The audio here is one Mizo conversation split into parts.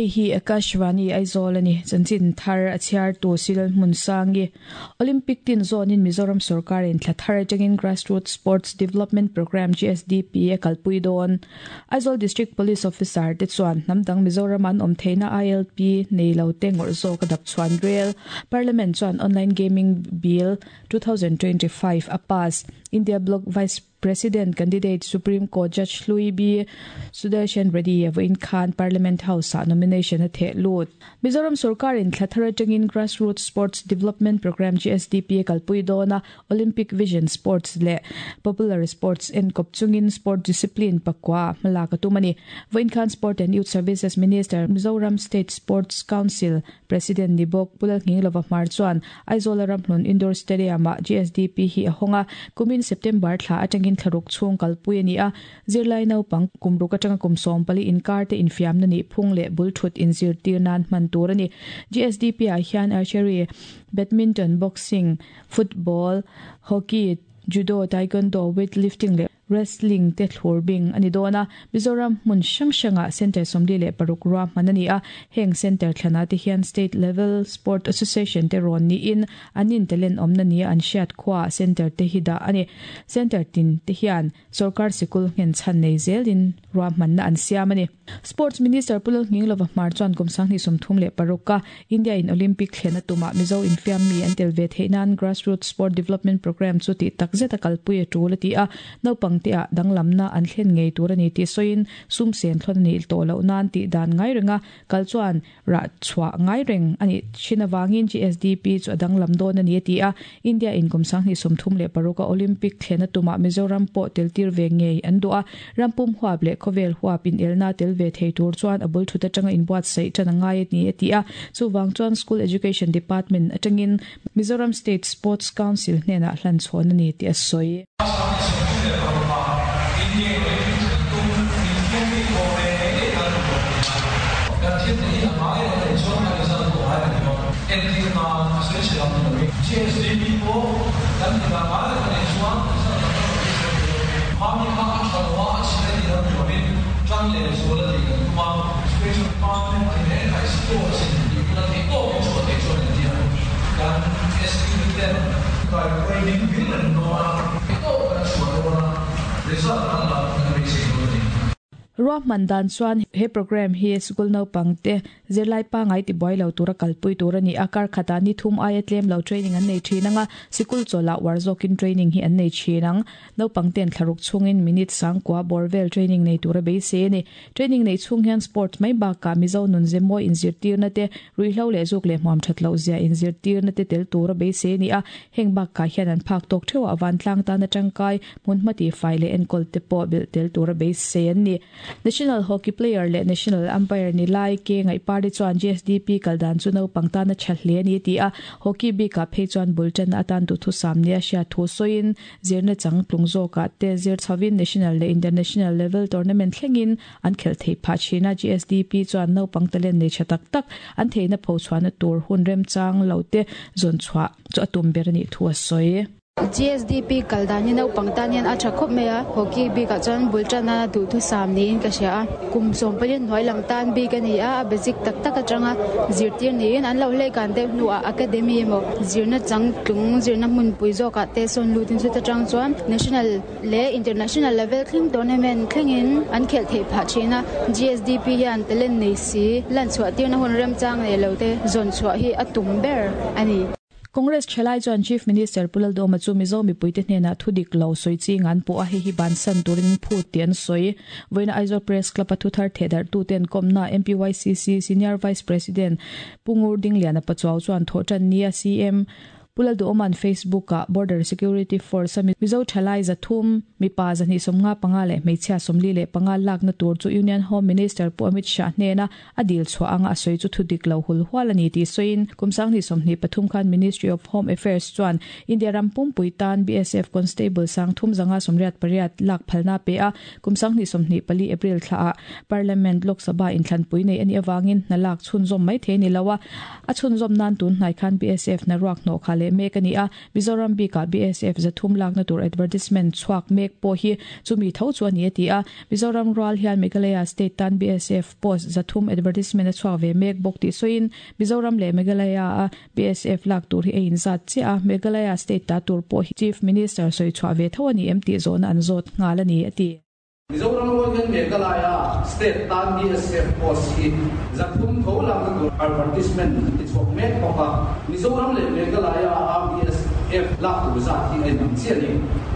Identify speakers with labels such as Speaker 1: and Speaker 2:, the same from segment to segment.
Speaker 1: Hei hi Akashvani Aizawl a ni. Chanchin thar a chhiartu Silal Hmunsangi. Olympic tin zawnin Mizoram sorkarin thla thar atangin Grassroots Sports Development Programme, GSDP, a kalpui dawn. Aizawl District Police Officer te chuan hnam dang Mizoram an awm theihna ILP nei lo te ngawrh zawk a dap chhuan rel. Parliament chuan Online Gaming Bill 2025 a pass. India Bloc Vice President candidate Supreme Court Judge hlui B Sudarshan Reddy a vawiin khan Parliament House-ah nomination a theh lut. Mizoram sorkarin thla thar atangin Grassroots Sports Development Programme, GSDP, a kalpui dawn a, Olympic Vision Sports leh Popular Sports enkawp chungin sport discipline pakua hmalak a tum a ni. Vawiin khan Sport and Youth Services Minister, Mizoram State Sports Council President ni bawk Pu Lalnghinglova Hmar chuan Aizawla Ramhlun Indoor Stadium-ah GSDP hi a hawng a, kumin September thla atangin thlaruk chhung kalpui a ni a. Zirlai naupang kum ruk atanga kum 40 inkar te infiamna nih phung leh bul thut inzirtir nan hman tur a ni. GSDP-ah hian archery, badminton, boxing, football, hockey, judo, taekwondo, weightlifting leh Wrestling te thlur bing a ni dawn a, Mizoram hmun hrang hrangah Centre 46 ruahman a ni a, heng Centre thlanah te hian State Level Sport Association te rawn niin an intalent awmna nia an hriat khuaah Centre te hi dah a ni. Centre tin te hian sawrkar sikul nghen chhan nei zelin ruahmanna an siam a ni. Sports Minister Pu Lalnghinglova Hmar chuan kum 2036 a India in Olympic thlen a tumah Mizo infiam mi an tel ve theih nan Grassroots Sport Development Programme chu tih tak zet a kalpui a tul a ti a, naupang te ah danglamna an thlen ngei tur a ni tih sawiin sum sen thlawn a nih tawh loh nan tih dan ngai renga kal chuan rah chhuah ngai reng a nih thin avangin GSDP chu a danglam dawn a ni a ti a, India in kum 2036 a Olympic thlen a tumah Mizoram pawh tel tir ve ngei an duh a, rampum huap leh khawvel huap inelna tel ve thei tur chuan a bul thut atanga inbuatsaih tan a ngai a ni a ti a, chuvang chuan School Education Department atangin Mizoram State Sports Council hnenah hlan chhawn a ni tih a sawi. Ruahman dan chuan he programme hi sikul naupang te zirlai pangai tibuai lo tura kalpui tur a ni a, kar khatah ni thum aia tlem lo training an nei thin ang a, sikul chawlhah uar zawkin training hi an nei thin ang. Naupang ten thlaruk chhungin minute sangkua bawr vel training nei tura beisei a ni. Training neih chhung hian sports mai bakah Mizo nun ze mawi inzirtirna te, ruihhlo leh zuk leh hmuam that loh zia inzirtirna te tel tura beisei a ni a. Heng bakah hian an phak tawk theuh ah vantlang tana tangkai, hmunhma tihfai leh enkawl te pawh belh tel tura beisei an ni. National hockey player leh national umpire ni lai K Ngaihpari chuan GSDP kal dan chu naupang tana tha hle a ni a ti a. Hockey bikah phei chuan bul tanna atan duhthusam nia hriat thu sawiin Zirna changtlung zawkah te zir chhovin national leh international level tournament thlengin an khelh theih phah thin a, GSDP chuan naupang talent nei tha tak tak an theihna phochhuahna tur hun remchang lo te zawn chhuah chu a tum ber a nih thu a sawi.
Speaker 2: GSDP kal dan hi naupang tan hian a tha khawp mai a, hockey bikah chuan bul tana duhthusam niin ka hria a, kum 14 hnuai lam tan bik a ni a, a basic tak tak atanga zirtir niin an lo hleikan deuh hnuah academy emaw Zirna changtlung zirna hmunpui zawkah te sawn lutin chuta tang chuan national leh international level thleng tournament thlengin an khelh theih phah thin a. GSDP hian talent nei si lanchhuah tirna hun remchang leh lo te zawn chhuah hi a tum ber a ni.
Speaker 1: Congress thalai chuan Chief Minister Pu Laldawma chu Mizo mipuite hnenah thu dik lo sawi ching an pawh a, hei hi bansan turin phut tih an sawi. Vawiina Aizawl Press Club-a thuthar thehdarhtuten kawmna MPYCC Senior Vice President Pu Ngur Dingliana Pachuau chuan thawhṭan nia CM Pu Lalduhawma'n Facebook-ah Border Security Force-a Mizo ṭhalai 300, mipa 255 leh hmeichhia 45 lakna tur chu Union Home Minister Pu Amit Shah hnena a dil chhuah anga a sawi chu thudik lo hul hual a ni tih sawiin kum 2023 khan Ministry of Home Affairs chuan India ram pumpui tan BSF Constable 3,188 lak phalna a pe a, Kum 2024 April thlaah Parliament Lok Sabha inthlanpui nei a nih avangin hna lak chhunzawm mai thei a ni lo a, a chhunzawm nan tun hnai khan BSF hna ruak hnawh kha leh leh mek a ni a, Mizoram bikah BSF 300 lakna tur advertisement chhuak mek pawh hi chumi tho chu a ni a ti a. Mizoram rual hian Meghalaya state tan BSF post 300 advertisement a chhuak ve mek bawk tih sawiin Mizoram leh Meghalaya a BSF lak tur hi a inzat chiah a, Meghalaya state ta tur pawh hi Chief Minister sawi chhuah ve tho a ni em tih zawhna an zawt nghal a ni a ti.
Speaker 3: Mizoram rual hian Meghalaya state tan BSF post hi 300 tho lakna tur advertisement an ti chhuak mek bawk a, Mizoram leh Meghalaya a BSF lak tur zat hi a inang chiah a ni.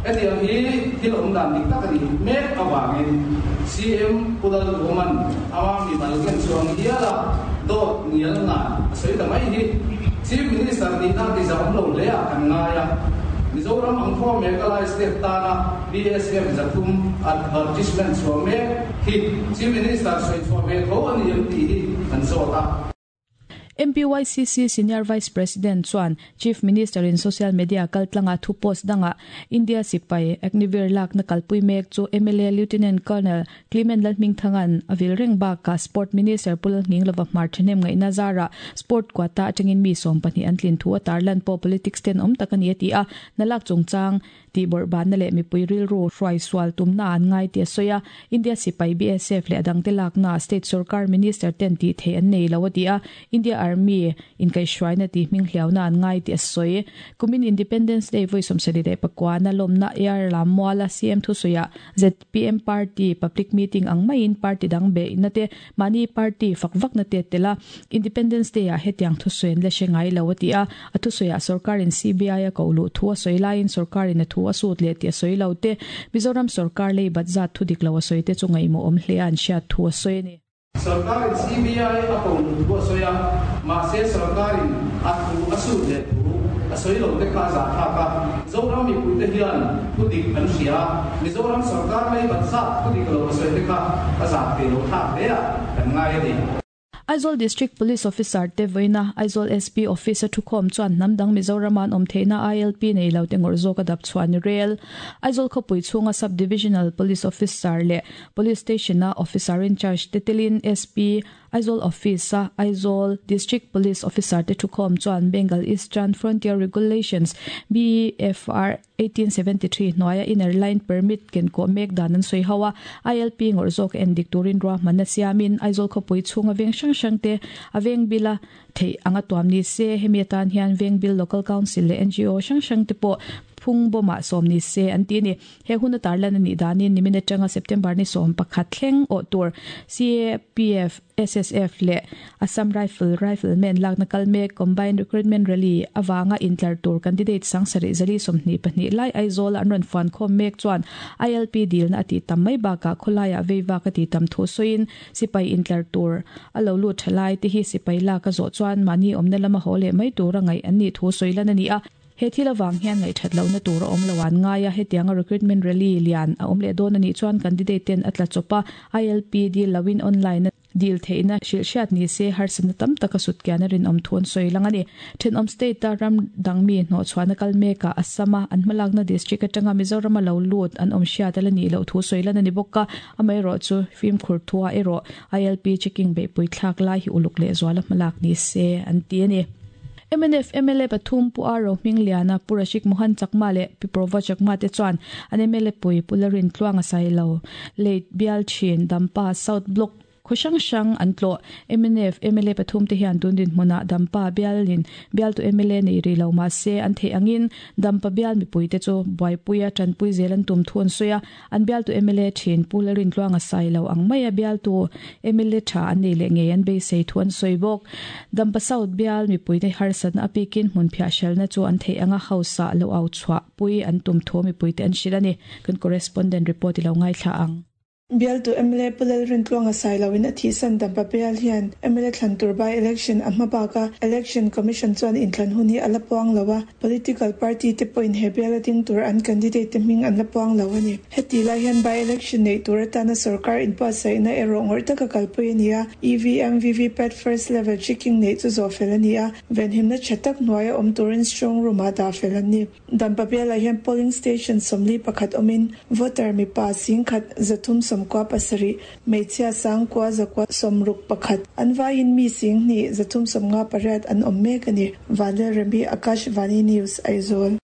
Speaker 3: Hetiang hi thil awm dan dik tak a nih mek avangin CM Pu Lalduhoman ama mimal ken chuang hial a dawt ngial ngan a sawi ta mai hi Chief Minister nihna ti zah awm lo hle ah kan ngai a, Mizoram ang thaw Meghalaya state tana BSF 300 advertisement chhuah mek hi Chief Minister sawi chhuah ve tho a ni em tih hi kan zawt a.
Speaker 1: MPYCC Senior Vice President chuan Chief Minister in social media kaltlanga thu post danga India sipai Agniveer lakna kalpui mek chu mla Lieutenant Colonel Clement Lalhmingthangan a vil reng bakah Sport Minister Pu Lalnghinglova hmar thahnem ngaihna zarah Sport quota atangin mi 12 an tlin thu a tarlan pawh politics ten awm tak a ni a ti a, nalak chungchang tih bawrhbanna leh mipui rilru hruai sual tumna an ngai tih a sawi a, India sipai BSF leh a dangte lakna state sorkar minister ten tih theih an nei lo a ti a, India Army inkaihhruaina tih hming hliauna an ngai tih a sawi. Kumin Independence Day vawi 79 na lawmna Air lam muala CM thusawiah ZPM party public meeting ang maiin party dang beihna te Mahni party fak vakna te tel a, Independence Day ah hetiang thusawi an la hre ngai lo a ti a, a thusawiah sorkarin CBI a koh luh thu a sawi laiin sorkarin a thu a sut leh tih a sawi lo te, Mizoram sorkar lei bat zat thu dik lo a sawi te chu ngaihmawh awm hle a an hriat thu a sawi a ni.
Speaker 3: Sorkarin CBI a koh luh thu a sawi a, mahse sorkarin a thu a sut leh thu a sawi lo te kha a zahthlak a, Zoram mipuite hian thu dik an hria a, Mizoram sorkar lei bat zat thu dik lo a sawi te kha a zah thei lo thlak hle a kan ngai a ni.
Speaker 1: Aizawl District Police Officer te vawiina Aizawl SP Office a thukhawm chuan hnam dang Mizorama an awm theihna ILP nei lo te ngawrh zawk a dap chhuah ni rel. Aizawl khawpui chhunga Sub Divisional Police Officer leh Police Station a Officer in Charge te telin SP Aizawl Office a Aizawl District Police Officer te thukhawm chuan Bengal Eastern Frontier Regulations, BEFR, 1873 hnuaia Inner Line Permit kenkawh mek dan an sawi ho a, ILP ngawrh zawk en dik turin ruahmanna siamin Aizawl khawpui chhunga veng hrang hrang te a veng bila theih anga tuam ni se, hemi atan hian veng bil Local Council leh NGO hrang hrang te pawh phung bawmah sawm ni se an ti a ni. He hun a tarlan a nih danin nimin atanga September ni 11 thleng awh tur CAPF, SSF leh Assam Rifle Riflemen lakna kal mek Combined Recruitment Rally avanga intlar tur candidate 7422 lai Aizawl-a an rawn fuan khawm mek chuan ILP dilna a tih tam mai bakah khawlaiah veivak a tih tam thu sawiin sipai intlar tur a lo lut tha lai te hi sipai lak a zawh chuan mahni awmna lama haw leh mai tura ngaih an nih thu sawi lan a ni a. He thil avang hian ngaihthat lohna tur a awm lo an ngai a, hetianga recruitment rally lian a awm leh dawn a nih chuan candidate ten a tla chawp a, ILP deal loin online a deal theihna hrilh hriat ni se harsatna tam tak a sut kian a rinawm thu an sawi lang a ni. Thenawm state a ram dang mi hnawhchhuahna kal mekah Assam a an hmalakna district atanga Mizoram a lo lut an awm hriat a la nih loh thu sawi lan a ni bawk a, amaherawh chu fimkhur thua erawh ILP checking beihpui thlak lai hi uluk lehzual a hmalak ni se an ti a ni. Mnf mla pathum Pu R Rohmingliana, Pu Rashik Mohan Chakma leh Pi Prova Chakma te chuan an mla pui Pu Larin Tluanga Sailo, Late Bial Thin, Dampa South Block khaw hrang hrang an tlawh. Mnf mla pathum te hian tun dinhmunah Dampa bialin bialtu mla nei rih lo mah se an theih angin Dampa bial mipui te chu buaipuia tanpui zel an tum thu an sawi a. An bialtu mla thin Pu Larin Tluanga Sailo ang maia bialtu mla tha an nei leh ngei an beisei thu an sawi bawk. Dampa South bial mipuite harsatna a pikin hmun phiah hrelna chu an theih anga House ah lo au chhuah pui an tum thu mipuite an hrilh a ni. Kan correspondent report i lo ngaithla ang.
Speaker 4: Bialtu mla Pu Lalrintluanga Sailoin a thihsan Dampa bial hian mla thlan tur by election a hma bak a, Election Commission chuan inthlan hun hi a la puang lo a, political party te pawhin he bial a ding tur an candidate te hming an la puang lo a ni. Heti lai hian by election neih tur atana sorkar inbuatsaihna erawh ngawrh taka kalpui a ni a, EVM, VVPAT first level checking neih chu zawh fel a ni a, venhimna tha tak hnuaia awm turin strong room ah dah fel an ni. Dampa bialah hian polling station 41 awmin voter mipa 10,335 97, hmeichhia 9161, an vaiin mi 2 358 an awm mek a ni. Vanlalremi, Akashvani News, Aizawl.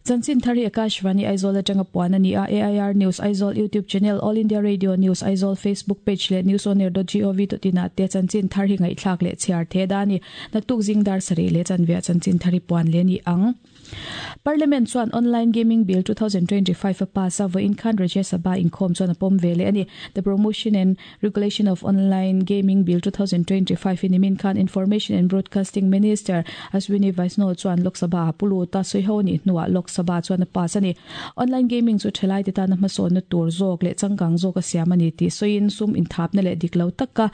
Speaker 1: Chanchin thar hi Akashvani Aizawl atanga puan a ni a, AIR News Aizawl YouTube channel, All India Radio News Aizawl Facebook page leh newsonair.gov.in ah te chanchin thar hi ngaihthlak leh chhiar the da a ni. Naktuk zing dar sarih leh chanveah chanchin thar hi puan leh a ni ang. Parliament chuan Online Gaming Bill 2025 a pass a, vawiin khan Rajya Sabha inkhawm chuan a pawm ve leh a ni. The Promotion and Regulation of Online Gaming Bill 2025 hi nimin khan Information and Broadcasting Minister Ashwini Vaishnaw chuan Lok Sabha ah pu lut a, sawiho a nih hnuah Lok Sabha chuan a pass a ni. Online gaming chu thalaite tana hmasawnna tur zawk leh changkang zawk a siam a ni tih sawiin sum inthapna leh dik lo taka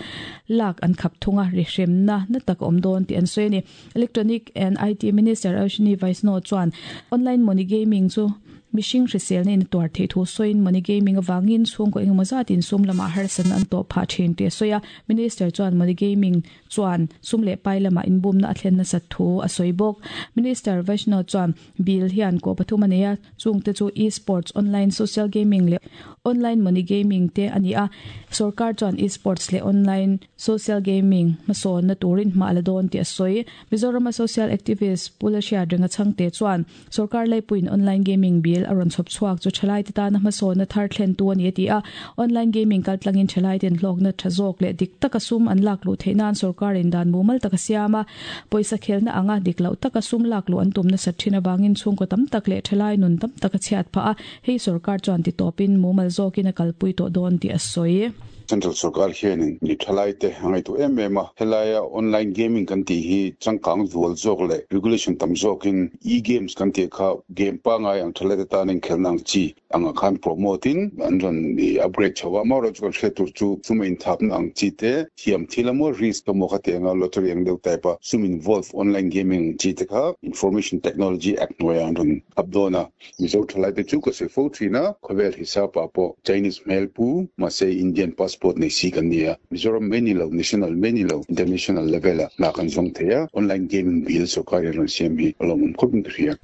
Speaker 1: lak an khap thung a, rihremna na tak a awm dawn tih an sawi a ni. Electronic and IT Minister Ashwini Vaishnaw chuan online money gaming chu mihring hriselna in a tuar theih thu sawiin money gaming avangin chhungkaw engemaw zatin sum lamah harsatna an tawh phah thin tih a sawi a. Minister chuan money gaming chuan sum leh pai lamah inbumna a thlen nasat thu a sawi bawk. Minister Vaishnaw chuan bill hian kaw pathum a nei a, chungte chu e-sports, online social gaming leh online money gaming te a ni a. Sorkar chuan e-sports leh online Social gaming hmasawnna turin hma a la dawn tih a sawi. Mizorama social activist Pu Lalhriat Renga Chhangte chuan sorkar laipuiin online gaming bill a rawn chhawp chhuak chu thalaite tana hmasawnna thar thlentu a ni a ti a. Online gaming kaltlangin thalaite'n hlawkna tha zawk leh dik taka sum an lak luh theih nan sorkarin dan mumal tak a siam a. Pawisa khelna anga dik loh taka sum lak luh an tum nasat thin avangin chhungkaw tam tak leh thalai nun tam tak a chhiat phah a. Hei sorkar chuan titawpin mumal zawkin a kalpui tawh dawn tih a sawi.
Speaker 5: Central sorkar hianin mi thalaite a ngaihtuah em em a, helaia online gaming kan tih hi changkang zual zawk leh regulation tam zawkin e-games kan tih kha game pangai ang thalaite tan inkhelhna ang chi angah khan promote in an rawn upgrade chho a, amaherawhchu chu kan hriat tur chu sum a inthapna ang chi te, thiam thil emaw risk emaw kha tianga lottery ang deuh type a sum involve online gaming ang chi te kha Information Technology Act hnuaiah an rawn up dawn a. Mizo thalaite chu ka sawi fo thin a, khawvel hisapah pawh Chinese hmel pu, mahse Indian passport nei si kan ni a, Mizoram mai ni lo, national mai ni lo, international level ah hna kan zawng thei a, online gaming bill sorkar in rawn siam hi a lawmawm khawp in ka hria.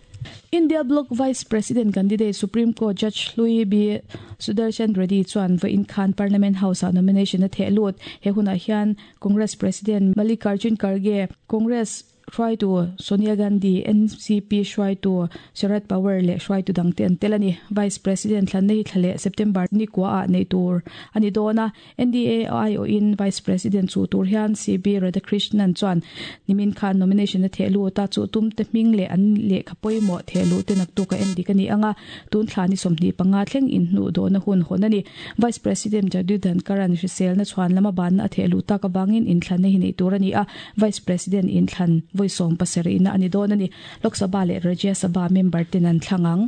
Speaker 1: India Bloc Vice President candidate Supreme Court Judge Hlui B Sudarshan Reddy chuan vawiin khan Parliament House ah nomination a theh lut. He hunah hian Congress President Mallikarjun Kharge, Congress Hruaitu Sonia Gandhi, NCP hruaitu Sharad Pawar leh hruaitu dangte an tel a ni. Vice President thlanna hi thla leh September ni kua ah neih tur a ni dawn a. NDA aiawhin Vice President chuh tur hian CB Radhakrishnan chuan nimin khan nomination a theh lut a, chuh tumte hming leh an lehkha pawimawh theh luh te naktuk a endik a ni ang a, tun thla ni 25 thleng inhnuh dawhna hun hawn a ni. Vice President Jagdeep Dhankhar-a'n hriselna chhuan lama banna a theh luh tak avangin inthlanna hi neih tur a ni a, Vice President inthlan vawi 70 na a ni dawn a ni. Lok Sabha leh Rajya Sabha member ten an thlang ang.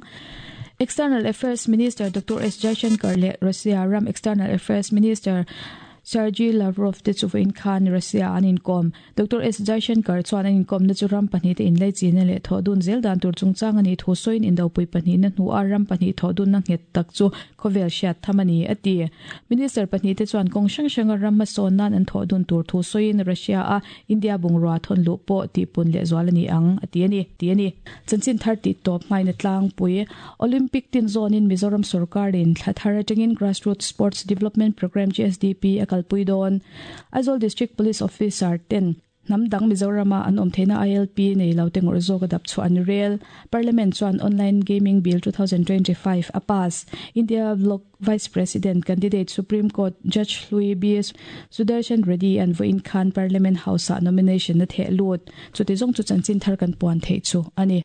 Speaker 1: External Affairs Minister Doctor S Jaishankar leh Russia ram External Affairs Minister Sergei Lavrov te chu vawiin khan Russia an inkawm. Doctor S Jaishankar chuan an inkawmna chu ram pahnihte inlaichinna leh thawhdun zel dan tur chungchang a nih thu sawiin indopui pahnihna hnuah ram pahnih thawhdunna nghet tak chu Khawvel hriat tham a ni, a ti. Minister pahnihte chuan kawng hrang hranga ram hmasawn nan an thawh dun tur thu sawiin Russia-a India bungrua thawn luh pawh tihpun lehzual a ni ang, a ti a ni, ti a ni. Chanchin thar tih tawp hmaina tlangpui Olympic tin zawnin Mizoram sorkarin thla thar atangin Grassroots Sports Development Programme, GSDP, a kalpui dawn. Aizawl District Police Officer ten Hnam dang Mizorama an awm theihna ILP nei lo te ngawrh zawk a dap chhuah an rel. Parliament chuan Online Gaming Bill 2025 a pass. India Bloc Vice President candidate Supreme Court Judge Hlui B Sudarshan Reddy an vawiin khan Parliament House ah nomination a theh lut. Chuti zawng chu chanchin thar kan puan theih chu a ni.